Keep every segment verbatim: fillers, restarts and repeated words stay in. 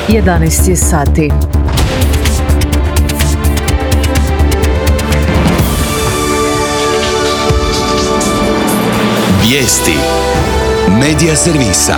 jedanaest je sati. Vijesti Medija servisa.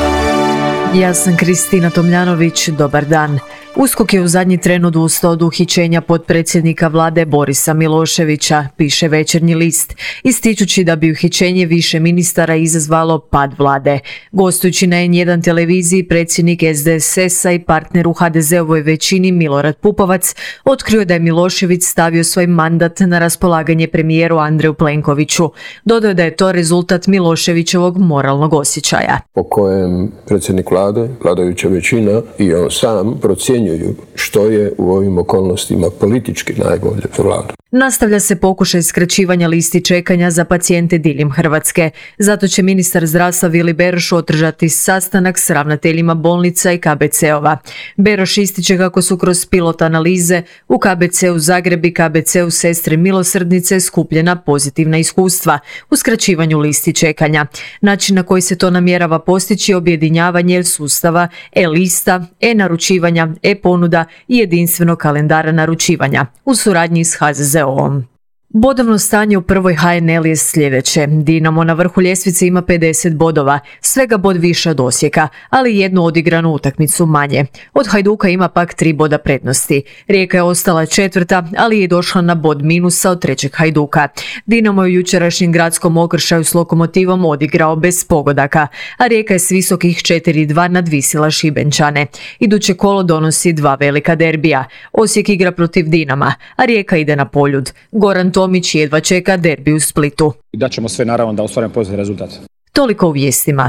Ja sam Kristina Tomljanović, dobar dan. USKOK je u zadnji tren odustao od uhićenja potpredsjednika vlade Borisa Miloševića, piše Večernji list, ističući da bi uhićenje više ministara izazvalo pad vlade. Gostujući na en jedan televiziji, predsjednik es de es es-a i partner u ha de ze-ovoj većini Milorad Pupovac otkrio da je Milošević stavio svoj mandat na raspolaganje premijeru Andreju Plenkoviću. Dodao da je to rezultat Miloševićevog moralnog osjećaja. Po kojem predsjednik vlade, vladajuća većina i on sam procjenjuju što je u ovim okolnostima politički najbolje za vladu. Nastavlja se pokušaj skraćivanja listi čekanja za pacijente diljem Hrvatske. Zato će ministar zdravstva Vili Beroš održati sastanak s ravnateljima bolnica i ka be ce-ova. Beroš ističe kako su kroz pilot analize u ka be ce-u Zagreb i ka be ce-u Sestre milosrdnice skupljena pozitivna iskustva u skraćivanju listi čekanja. Način na koji se to namjerava postići je objedinjavanje sustava e-lista, e-naručivanja, e-ponuda i jedinstvenog kalendara naručivanja u suradnji s ha ze ze-om. Bodovno stanje u prvoj ha en el je sljedeće. Dinamo na vrhu ljestvice ima pedeset bodova, svega bod više od Osijeka, ali jednu odigranu utakmicu manje. Od Hajduka ima pak tri boda prednosti. Rijeka je ostala četvrta, ali je došla na bod minusa od trećeg Hajduka. Dinamo je u jučerašnjem gradskom okršaju s Lokomotivom odigrao bez pogodaka, a Rijeka je s visokih četiri dva nadvisila Šibenčane. Iduće kolo donosi dva velika derbija. Osijek igra protiv Dinama, a Rijeka ide na Poljud. Goran Tomić jedva čeka derbi u Splitu. Da ćemo sve naravno da ostvarimo pozitivan rezultat. Toliko u vijestima.